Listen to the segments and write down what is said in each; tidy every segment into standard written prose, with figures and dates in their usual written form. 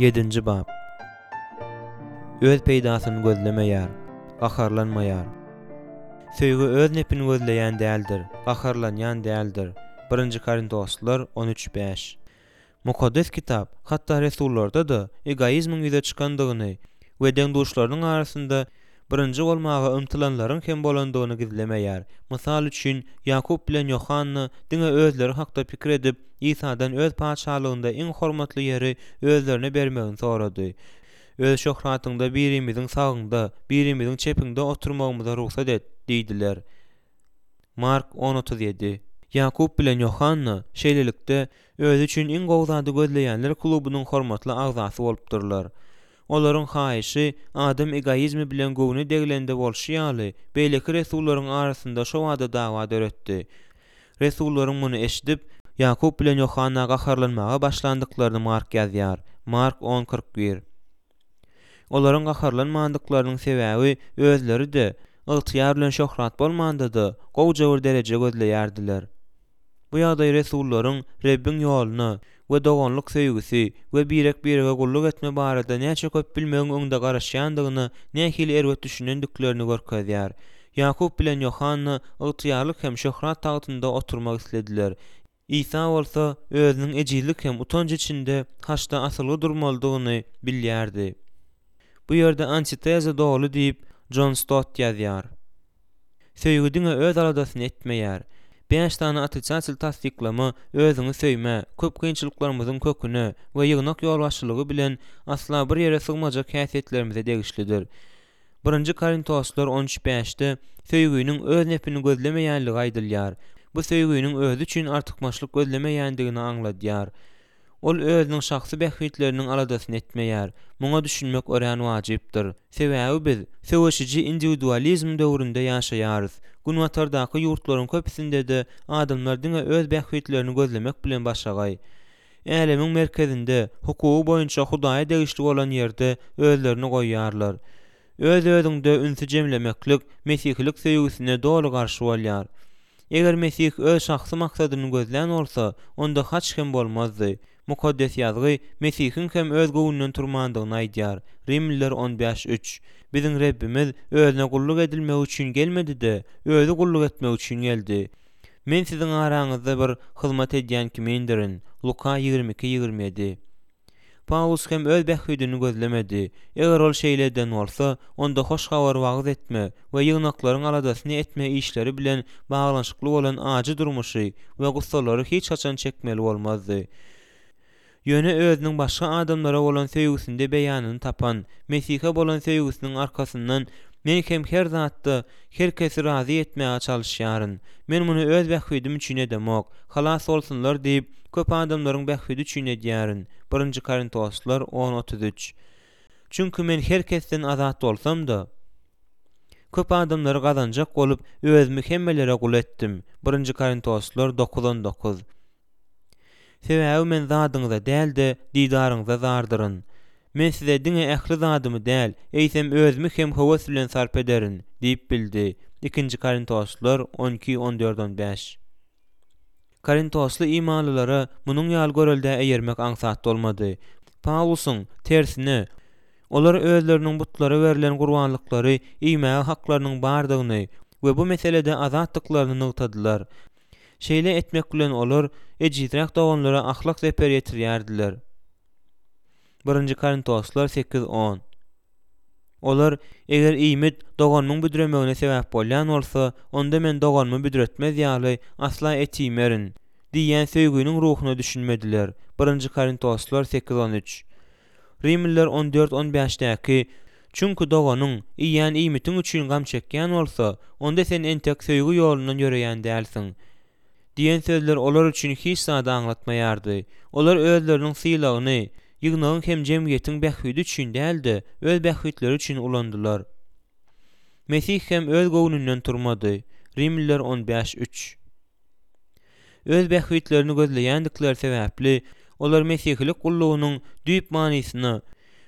Ýedinji bap. Öz peýdasyny gözlemeýär, gaharlanmaýar. Söýgi öz nepini gözleýän däldir, gaharlanýan däldir. Birinji Korintoslylar 13, 5. Mukaddes Kitap hatda resullarda-da egoizmiň ýüze çykandygyny we deň-duşlarynyň arasynda birinji bolmaga ymtylanlaryň hem bolandygyny gizlemeýär. Mysal üçin, Ýakup bilen Ýohanna diňe özleri hakda pikir edip, Isadan öz Patyşalygynda iň hormatly ýeri özlerine bermegini sorady. Öz şöhratyňda birimiziň sagyňda, birimiziň çepiňde oturmagymyza rugsat et diýdiler. Mark on 37. Ýakup bilen Ýohanna, şeýlelikde, özi üçin iň gowy zady gözleýänler klubunyň hormatly agzasy bolupdyrlar. Olaryň haýyşy, adam egoizmi bilen göwne deglende bolşy ýaly, beýleki resullaryň arasynda şobada dawa döretdi. Resullaryň muny eşidip, Ýakup bilen Ýohanna gaharlanmaga başlandyklaryny Mark ýazýar, Mark on 41. Olaryň gaharlanmandyklarynyň sebäbi özleri-de, ygtyýar bilen şöhrat bolmanda-da, gowja bir dereje gözleýärdiler. Bu ýagdaý resullaryň Rebbiň ýoluna we doganlyk söýgüsi we birek-birege gulluk etme barada näçe köp bilmegiň öňde garaşýandygyna nähili erbet düşünendiklerini görkezýär. Ýakup bilen Ýohanna ygtyýarlyk hem şöhrat tagtynda oturmak islediler. Isa bolsa özüniň ejizlik hem utanç içinde haçda asylgy durmalydygyny bilýärdi. Bu ýerde antiteza doly diýip, Jon Stott ýazýar. Söýgi diňe öz aladasyny etmeýär. Bäş sany otrisatel tassyklama özüňi söýmä, köp kynçylyklarymyzyň köküne we ýygnak ýolbaşçylygy bilen asla bir ýere sygmajak häsiýetlerimize degişlidir. Birinji Korintoslar on üç bäşde söýginiň öz nepini gözlemeýänligi aýdylýar. Bu söýginiň özi üçin artykmaçlyk gözlemeýändigini aňladýar. Ol özüniň şahsy bähbitleriniň aladasyny etmeýär. Muňa düşünmek örän wajypdyr. Sebäbi biz söweşiji indiwidualizm döwründe ýaşaýarys. Günbatardaky ýurtlaryň köpüsinde-de adamlar diňe öz bähbitlerini gözlemek bilen başagaý. Älemiň merkezinde, hukugy boýunça Hudaýa degişli bolan ýerde özlerini goýýarlar. Öz-özüňde ünsi jemlemeklik mesihilik söýgüsine doly garşy bolýar. Eger Mesih öz şahsy maksadyny gözlän bolsa, onda haç hem bolmazdy. Mukaddes Ýazgy Mesihiň hem öz göwnünden turmandygyny aýdýar, Rimliler on bäş, üç. Biziň Rebbimiz Özüne gulluk edilmegi üçin gelmedi-de, Özi gulluk etmek üçin geldi. Men siziň araňyzda bir hyzmat edýän kimindirin, Luka 22, 27. Pawlus hem öz bähbidini gözlemedi. Eger ol şeýle eden bolsa, onda hoş habary wagyz etme we ýygnaklaryň aladasyny etme işleri bilen baglanyşykly bolan ajy durmuşy we gussalary hiç haçan çekmeli bolmazdy. Ýöne özüniň başga adamlara bolan söýgüsinde beýanyny tapan Mesihe bolan söýgüsiniň arkasyndan men hem her zatda her kesi razy etmäge çalyşýaryn. Men muny öz bähbidim üçin edemok, halas bolsunlar diýip, köp adamlaryň bähbidi üçin edýärin, Birinji Korintoslar on, 33. Çünki men her kesden azat bolsam-da, köp adamlary gazanjak bolup, özümi hemmelere gul etdim, Birinji Korintoslar dokuz, 19. Sebäbi men zadyňyza däl-de, didaryňyza zardyryn. Men size diňe ähli zadymy däl, eýsem özümi hem höwes bilen sarp ederin diýip bildi, Ikinji Korintoslylar on iki, on dört, on bäş. Korintosly imanlylara munuň ýaly göreldä eýermek aňsat bolmady. Pawlusyň, tersine, olar özleriniň butlara berlen gurbanlyklary iýmäge haklarynyň bardygyny we bu meselede azatdyklaryny nygtadylar. Şeýle etmek bilen olar ejizräk doganlara ahlak zeper ýetirýärdiler. Birinji Korintoslar sekiz, on. Olar, Eger iýmit doganymyň büdremegine sebäp bolýan bolsa, onda men doganymy büdretmez ýaly, asla et iýmerin diýýän söýginiň ruhuna düşünmediler. Birinji Korintoslar sekiz, on üç. Rimliler on dört, on bäşdäki, Çünki doganyň, iýýän iýmitiň üçin gam çekýän bolsa, onda sen entek söýgi ýolundan ýöreýän dälsiň. Diýen sözler olar üçin hiç zady aňlatmaýardy. Olar özleriniň sylagyny, ýygnagyň hem jemgyýetiň bähbidi üçin däl-de, öz bähbitleri üçin ulandylar. Mesih hem öz göwnünden turmady. Rimliler on bäş, üç. Öz bähbitlerini gözleýändikleri sebäpli, olar mesihilik gullugynyň düýp manysyna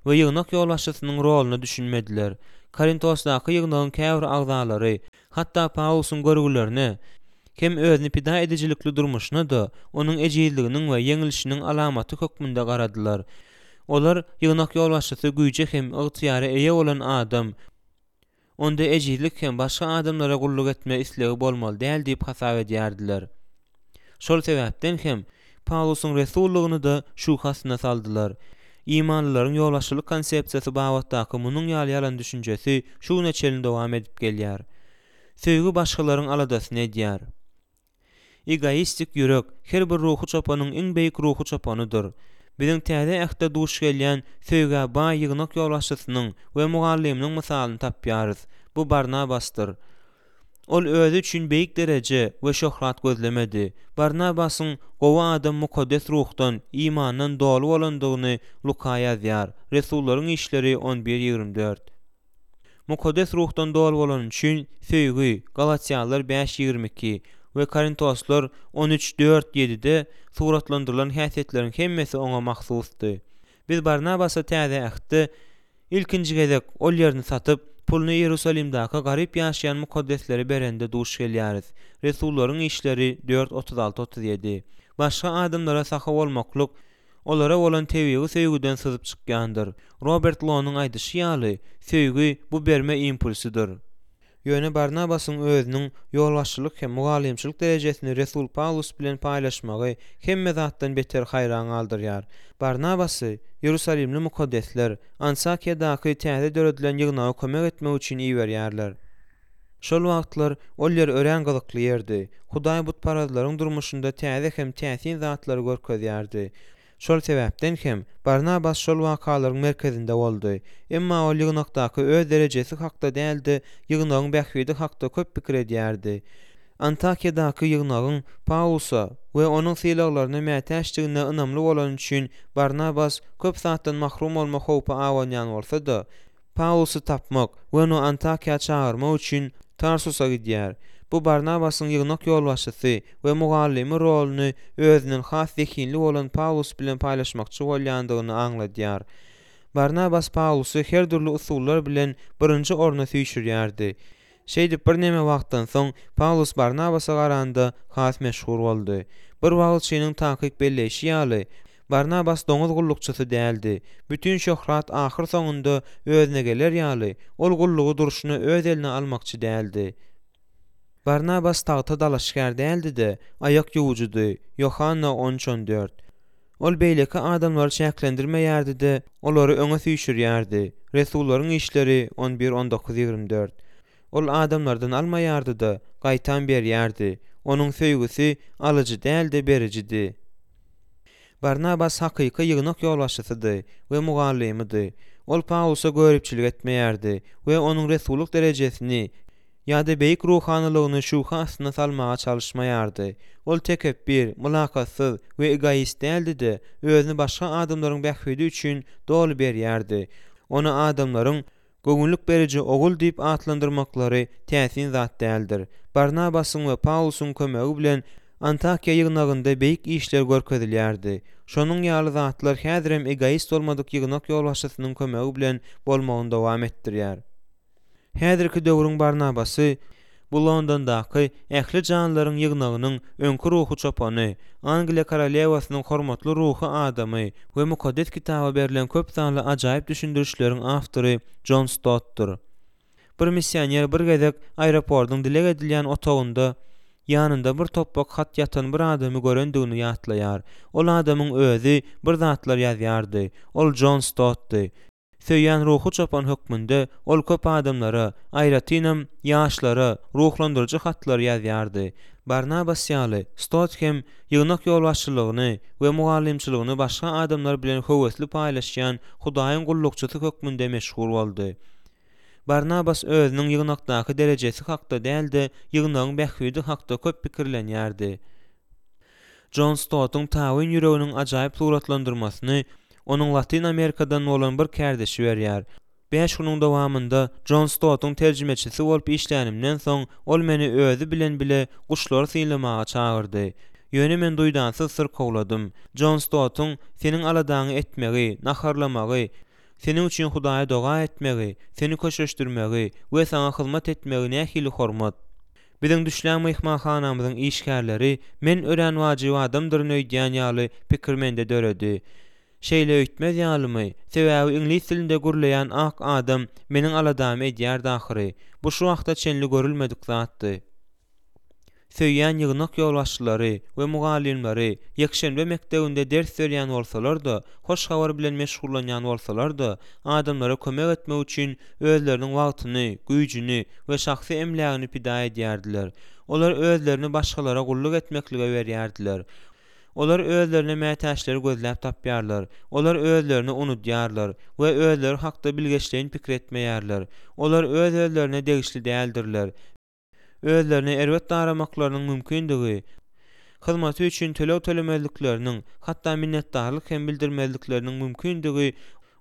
we ýygnak ýolbaşçysynyň roluna düşünmediler. Korintosdaky ýygnagyň käbir agzalary, hatda Pawlusyň görgülerine hem özüni pida edijilikli durmuşyna-da onuň ejizliginiň we ýeňilişiniň alamaty hökmünde garadylar. Olar ýygnak ýolbaşçysy güýje hem ygtyýara eýe bolan adam, onda ejizlik hem başga adamlara gulluk etme islegi bolmaly däl diýip hasap edýärdiler. Şol sebäpden hem, Pawlusyň resullygyny-da şübhe astyna saldylar. Imanlylaryň ýolbaşçylyk konsepsiýasy babatdaky munuň ýaly ýalan düşünjesi şu güne çenli dowam edip gelýär. Söýgi başgalaryň aladasyny edýär. Egoistik ýürek her bir ruhy çopanyň iň beýik ruhy çopanydyr. Biziň Täze Ähtde duş gelýän söýgä baý ýygnak ýolbaşçysynyň we mugallymynyň mysalyny tapýarys. Bu Barnabasdyr. Ol özi üçin beýik dereje we şöhrat gözlemedi. Barnabasyň gowy adam Mukaddes Ruhdan, imandan doly bolandygyny Luka ýazýar, Resullaryň işleri on bir, 24. Mukaddes Ruhdan doly bolany üçin söýgi, Galatýalylar bäş, 22, we Korintoslar on üç, dört, ýedide suratlandyrylan häsiýetleriň hemmesi oňa mahsusdy. Biz Barnabasa Täze Ähtde ilkinji gezek ol ýerini satyp, puluny Iýerusalimdäki garyp ýaşaýan mukaddeslere berende duş gelýäris, Resullaryň işleri dört, 36, 37. Başga adamlara sahy bolmaklyk olara bolan tebigy söýgüden syzyp çykýandyr. Robert Lonyň aýdyşy ýaly, söýgi, bu berme impulsydyr. Ýöne Barnabasyň özüniň ýolbaşçylyk hem mugallymçylyk derejesini resul Pawlus bilen paýlaşmagy hemme zatdan beter haýran galdyrýar. Barnabasy Iýerusalimli mukaddesler Antakiýadaky täze döredilen ýygnaga kömek etmek üçin iberýärler. Şol wagtlar ol ýer örän gyzykly ýerdi. Hudaý butparazlaryň durmuşynda täze hem täsin zatlary görkezýärdi. Şol sebäpden hem, Barnabas şol wakalaryň merkezinde boldy. Emma ol ýygnakdaky öz derejesi hakda däl-de, ýygnagyň bähbidi hakda köp pikir edýärdi. Antakiýadaky ýygnagyň Pawlusa we onuň sylaglaryna mätäçdigine ynamly bolany üçin Barnabas köp zatdan mahrum bolma howpy abanýan bolsa-da, Pawlusy tapmak we ony Antakiýa çagyrmak üçin Tarsusa gidýär. Bu Barnabasyň ýygnak ýolbaşçysy we mugallymy roluny özünden has zehinli bolan Pawlus bilen paýlaşmakçy bolýandygyny aňladýar. Barnabas Pawlusy her dürli usullar bilen birinji orna süýşürýärdi. Şeýdip, birneme wagtdan soň, Pawlus Barnabasa garanda has meşhur boldy. Bir wagyzçynyň takyk belleýşi ýaly, Barnabas doňuz gullukçysy däldi. Bütin şöhrat ahyrsoňunda özüne geler ýaly, ol gullugy durşuna öz eline almakçy däldi. Barnabas tagta dalaşgär däldi-de, aýak ýuwujydy, Ýohanna on üç 14. Ol beýleki adamlary çäklendirmeýärdi-de, olary öňe süýşürýärdi, Resullaryň işleri on bir 19 24. Ol adamlardan almaýardy-da, gaýtam berýärdi. Onuň söýgüsi alyjy däl-de, berijidi. Barnabas hakyky ýygnak ýolbaşçysydy we mugallymydy. Ol Pawlusa göripçilik etmeýärdi we onuň resullyk derejesini ýa-da beýik ruhanylygyny şübhe astyna salmaga çalyşmaýardy. Ol tekepbir, mylakatsyz we egoist däldi-de, özüni başga adamlaryň bähbidi üçin doly berýärdi. Ony adamlaryň Göwünlik beriji ogul diýip atlandyrmaklary täsin zat däldir. Barnabasyň we Pawlusyň kömegi bilen Antakiýa ýygnagynda beýik işler görkezilýärdi. Şonuň ýaly zatlar häzirem egoist bolmadyk ýygnak ýolbaşçysynyň kömegi bilen bolmagyny dowam etdirýär. Häzirki döwrüň Barnabasy bu Londondaky Ähli janlylaryň ýygnagynyň öňki ruhy çopany, Angliýa korolewasynyň hormatly ruhy adamy we Mukaddes Kitaba berlen köp sanly ajaýyp düşündirişleriň awtory Jon Stottdur. Bir missioner bir gezek aeroportyň dileg edilýän otagynda ýanynda bir topbak hat ýatan bir adamy görendigini ýatlaýar. Ol adamyň özi bir zatlar ýazýardy. Ol Jon Stottdy. Söýýän ruhy çopan hökmünde ol köp adamlara, aýratynam, ýaşlara ruhlandyryjy hatlary ýazýardy. Barnabas ýaly, Stott hem ýygnak ýolbaşçylygyny we mugallymçylygyny başga adamlar bilen höwesli paýlaşýan Hudaýyň gullukçysy hökmünde meşhur boldy. Barnabas özüniň ýygnakdaky derejesi hakda däl-de, ýygnagyň bähbidi hakda köp pikirlenýärdi. Jon Stottuň tabyn ýüreginiň ajaýyp suratlandyrmasyny onuň Latyn Amerikadan bolan bir kärdeşi berýär. Bäş günüň dowamynda Jon Stottuň terjimeçisi bolup işlänimden soň, ol meni özi bilen bile guşlary synlamaga çagyrdy. Ýöne men duýdansyz syrkawladym. Jon Stottuň seniň aladaňy etmegi, naharlamagy, seniň üçin Hudaýa doga etmegi, seni köşeşdirmegi we saňa hyzmat etmegi nähili hormat! Biziň düşlän myhmanhanamyzyň işgärleri men örän wajyp adamdyryn öýdýän ýaly pikir mende döredi. Şeýle öýtmez ýalymy? Sebäbi iňlis dilinde gürleýän ak adam meniň aladamy edýärdi ahyry. Bu şu wagta çenli görülmedik zatdy. Söýýän ýygnak ýolbaşçylary we mugallymlary ýekşenbe mekdebinde ders berýän bolsalar-da, hoş habar bilen meşgullanýan bolsalar-da, adamlara kömek etmek üçin özleriniň wagtyny, güýjüni we şahsy emlägini pida edýärdiler. Olar özlerini başgalara gulluk etmeklige berýärdiler. Olar özlerine mätäçleri gözläp tapýarlar. Olar özlerini unudýarlar we özleri hakda bilgeşleýin pikir etmeýärler. Olar öz-özlerine degişli däldirler. Özlerine erbet daramaklarynyň mümkindigi, hyzmaty üçin töleg tölemezlikleriniň, hatda minnetdarlyk hem bildirmezlikleriniň mümkindigi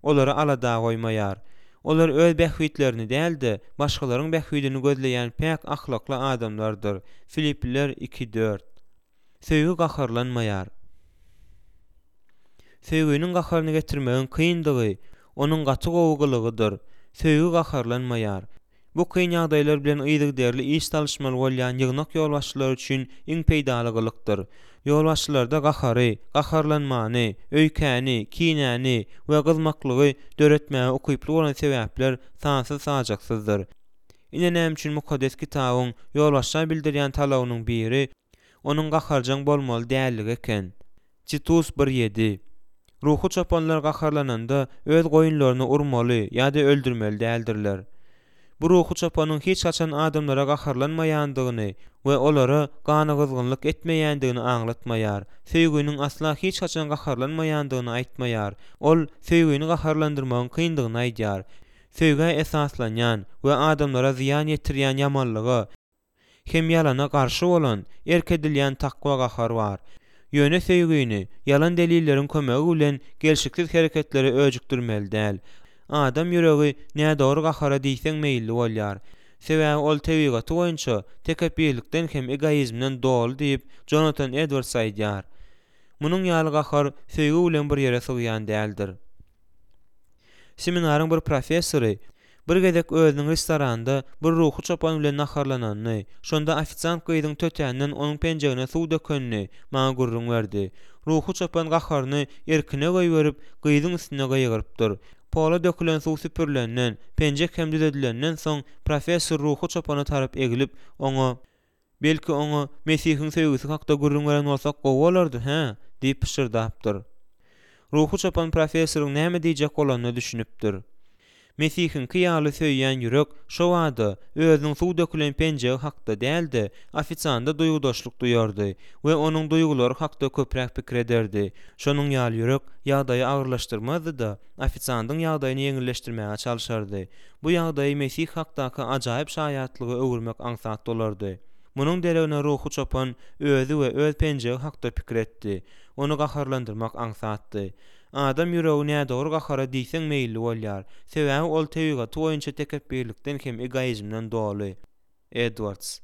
olary alada goýmaýar. Olar öz bähbitlerini däl-de, başgalaryň bähbidini gözleýän päk ahlakly adamlardyr. Filipliler iki, dört. Söýgi gaharlanmaýar. Söýginiň gaharyny getirmegiň kyndygy, onuň gaty gowy gylygydyr. Söýgi gaharlanmaýar. Bu kyn ýagdaýlar bilen yzygiderli iş salyşmaly bolýan ýygnak ýolbaşçylary üçin iň peýdaly gylykdyr. Ýolbaşçylarda gahary, gaharlanmany, öýkäni, kinäni we gyzmaklygy döretmäge ukyply bolan sebäpler sansyz-sajaksyzdyr. Ine näme üçin Mukaddes Kitabyň ýolbaşça bildirýän talabynyň biri onuň gaharjaň bolmaly dälligi eken. Titus bir ýedi. Ruhy çopanlar gaharlananda öz goýunlaryny urmaly ýa-da öldürmeli däldirler. Bu ruhy çopanyň hiç haçan adamlara gaharlanmaýandygyny we olara ganygyzgynlyk etmeýändigini aňlatmaýar. Söýginiň asla hiç haçan gaharlanmaýandygyny aýtmaýar. Ol söýgini gaharlandyrmagyň kyndygyny aýdýar. Söýgä esaslanýan we adamlara zyýan ýetirýän ýamanlyga hem ýalana garşy bolan erk edilýän takwa gahar bar. Ýöne söýgini ýalan delilleriň kömegi bilen gelşiksiz hereketlere öjükdirmeli däl. Adam ýüregi nädogry gahara diýseň meýilli bolýar. Sebäbi ol tebigaty boýunça tekepbirlikden hem egoizmden doly diýip, Jonatan Edwards aýdýar. Munuň ýaly gahar söýgi bilen bir ýere sygýan däldir. Seminaryň bir professory bir gezek özüniň restoranda bir ruhy çopan bilen naharlananyny, şonda ofisiant gyzyň tötänden onuň penjegine suw dökenini maňa gürrüň berdi. Ruhy çopan gaharyny erkine goýberip, gyzyň üstüne gygyrypdyr. Pola dökülen suw süpürilenden, penjek hem düzedilenden soň professor ruhy çopana tarap eglip, oňa. Belki oňa Mesihiň söýgüsi hakda gürrüň beren bolsak gowy bolardy, hä? diýip pyşyrdapdyr. Ruhy çopan professoryň näme diýjek bolanyna düşünipdir. Mesihiňki ýaly söýýän ýürek şobada özüniň suw dökülen penjegi hakda däl-de, ofisianda duýgudaşlyk duýardy we onuň duýgulary hakda köpräk pikir ederdi. Şonuň ýaly ýürek ýagdaýy agyrlaşdyrmazdy-da, ofisiandyň ýagdaýyny ýeňilleşdirmäge çalşardy. Bu ýagdaýy Mesih hakdaky ajaýyp şaýatlyga öwürmek aňsat bolardy. Munuň deregine ruhy çopan özi we öz penjegi hakda pikir etdi. Ony gaharlandyrmak aňsatdy. Adam ýüregi nädogry gahara diýseň meýilli bolýar, sebäbi ol tebigaty boýunça tekepbirlikden hem egoizmden doly. Edwards.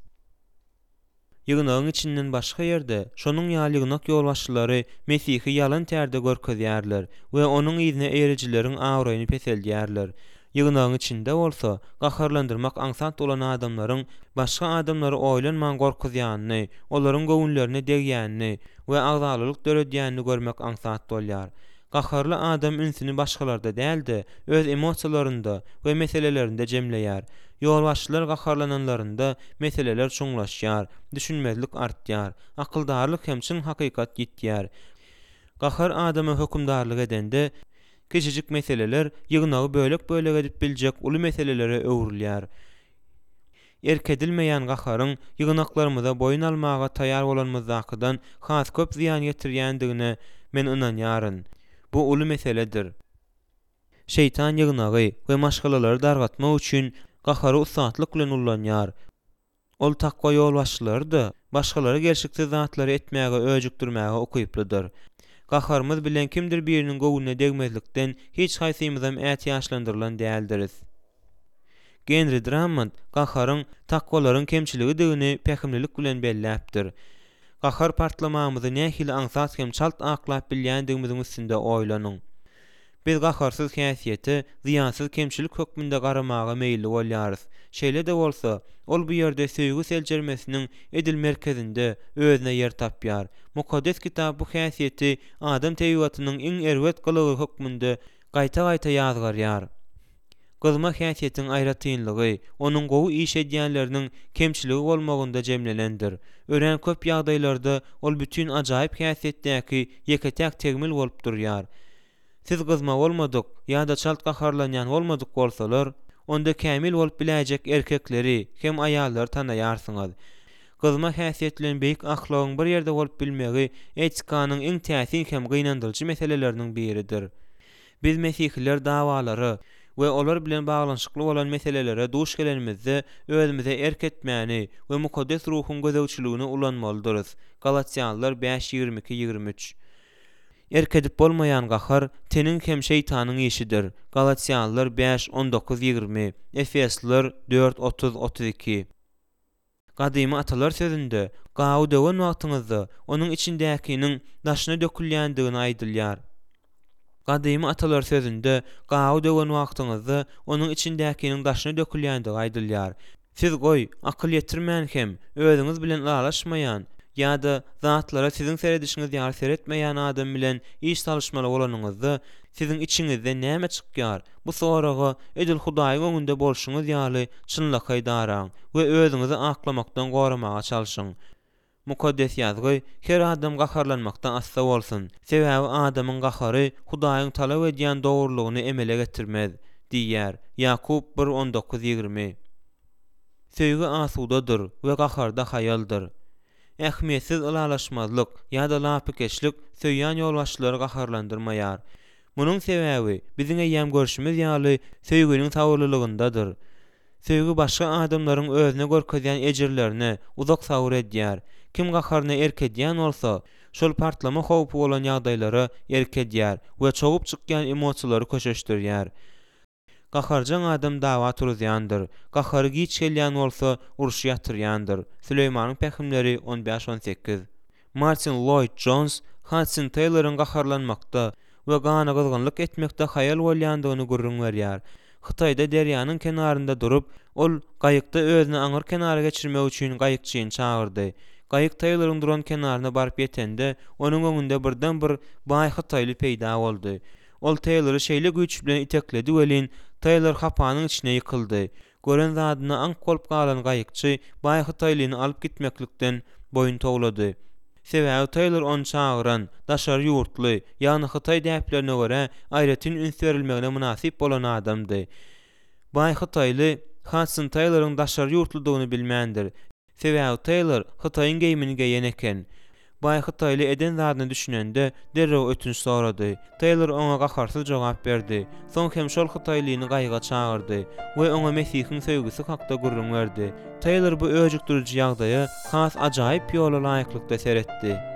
Ýygnagyň içinden başga ýerde şonuň ýaly ýygnak ýolbaşçylary Mesihi ýalan tärde görkezýärler we onuň yzyna eýerijileriň abraýyny peseldýärler. Ýygnagyň içinde bolsa, gaharlandyrmak aňsat bolan adamlaryň başga adamlary oýlanman gorkuzýanyny, olaryň göwünlerine degýänini we agzalalyk döredýänini görmek aňsat bolýar. Gaharly adam ünsüni başgalarda däl-de, öz emosiýalarynda we meselelerinde jemleýär. Ýolbaşçylar gaharlananlarynda meseleler çuňlaşýar, düşünmezlik artýar, akyldarlyk hem çyn hakykat ýitýär. Gahar adama hökümdarlyk edende, kiçijik meseleler ýygnagy bölek-bölek edip biljek uly meselelere öwrülýär. Erk edilmeýän gaharyň ýygnaklarymyza boýun almaga taýýar bolanymyzdakydan has köp zyýan ýetirýändigine men ynanýaryn. Bu uly meseledir. Şeýtan ýygnagy we maşgalalary dargatmak üçin gahary ussatlyk bilen ullanýar. Ol takwa ýolbaşçylary-da başgalary gelşiksiz zatlary etmäge öjükdirmäge ukyplydyr. Gaharymyz bilen kimdir biriniň göwnüne degmezlikden hiç haýsymyzam ätiýaçlandyrylan däldiris. Genri Drammond gaharyň takwalaryň kemçiligidigini pähimlilik bilen belläpdir. Gahar partlamamyzy nähili aňsat hem çalt aklap bilýändigimiziň üstünde oýlanyň. Biz gaharsyz häsiýete zyýansyz kemçilik hökmünde garamaga meýilli bolýarys. Şeýle-de bolsa, ol bu ýerde söýgi seljermesiniň edil merkezinde özüne ýer tapýar. Mukaddes Kitap bu häsiýeti adam tebigatynyň iň erbet gylygy hökmünde gaýta-gaýta ýazgarýar. Gyzma häsiýetiň aýratynlygy, onuň gowy iş edýänleriniň kemçiligi bolmagynda jemlenendir. Örän köp ýagdaýlarda ol bütin ajaýyp häsiýetdäki ýeke-täk tegmil bolup durýar. Siz gyzma bolmadyk ýa-da çalt gaharlanýan bolmadyk bolsalar, onda kämil bolup biläýjek erkekleri hem aýallary tanaýarsyňyz. Gyzma häsiýet bilen beýik ahlagyň bir ýerde bolup bilmegi etikanyň iň täsin hem gynandyryjy meseleleriniň biridir. Biz mesihiler dawalara we olar bilen baglanyşykly bolan meselelere duş gelenimizde özümize erk etmäni we Mukaddes Ruhuň gözegçiligini ulanmalydyrys, Galatýalylar bäş 22, 23. Erk edip bolmaýan gahar teniň hem şeýtanyň işidir, Galatýalylar bäş, 19, 20, Efesliler dört, 30, 32. Gadymy atalar sözünde gaby döwen wagtyňyzda onuň içindäkiniň daşyna dökülýändigini aýdylýar. Gadymy atalar sözünde gaby döwen wagtyňyzda onuň içindäkiniň daşyna dökülýändigi aýdylýar. Siz goý, akyl ýetirmän hem, özüňiz bilen ylalaşmaýan ýa-da zatlara siziň seredişiňiz ýaly seretmeýän adam bilen iş salyşmaly bolanyňyzda, siziň içiňizden näme çykýar? Bu soraga edil Hudaýyň öňünde bolşuňyz ýaly çynlakaý daraň we özüňizi aklamakdan goramaga çalşyň. Mukaddes Ýazgy, Her adam gaharlanmakda assa bolsun, sebäbi adamyň gahary Hudaýyň talap edýän dogrulygyny emele getirmez diýýär, Ýakup bir, 19, 20. Söýgi asudadyr we gaharda haýaldyr. Ähmiýetsiz ylalaşmazlyk ýa-da lapykeçlik söýýän ýolbaşçylary gaharlandyrmaýar. Munuň sebäbi, biziň eýýäm görşümiz ýaly, söýginiň sabyrlylygyndadyr. Söýgi başga adamlaryň özüne görkezýän ejirlerine uzak sabyr edýär. Kim gaharyna erk edýän bolsa, şol partlama howpy bolan ýagdaýlara erk edýär we çogup çykýan emosiýalary köşeşdirýär. Gaharjaň adam dawa turuzýandyr, gahary giç gelýän bolsa, urşy ýatyrýandyr. Süleýmanyň pähimleri on bäş, on sekiz. Martin Lloýd Jons Hadson Teýloryň gaharlanmakda we ganygyzgynlyk etmekde haýal bolýandygyny gürrüň berýär. Hytaýda derýanyň kenarynda durup, ol gaýykda özüni aňyr kenara geçirmek üçin gaýykçyny çagyrdy. Gaýyk Teýloryň duran kenaryna baryp ýetende, onuň öňünde birden bir baý hytaýly peýda boldy. Ol Teýlory şeýle güýç bilen itekledi welin, Teýlor hapanyň içine ýykyldy. Gören zadyna aňk bolup galan gaýykçy baý hytaýlyny alyp gitmeklikden boýun towlady. Sebäbi Teýlor ony çagyran, daşary ýurtly, ýagny hytaý däplerine görä aýratyn üns berilmegine mynasyp bolan adamdy. Baý hytaýly Hadson Teýloryň daşary ýurtludygyny bilmändir. Sebäbi Teýlor hytaýyň geýmini geýen eken. Baý hytaýly eden zadyna düşünende, derrew ötünç sorady. Teýlor oňa gaharsyz jogap berdi. Soň hem şol hytaýlyny gaýyga çagyrdy we oňa Mesihiň söýgüsi hakda gürrüň berdi. Teýlor bu öjükdiriji ýagdaýa has ajaýyp ýola laýyklykda seretdi.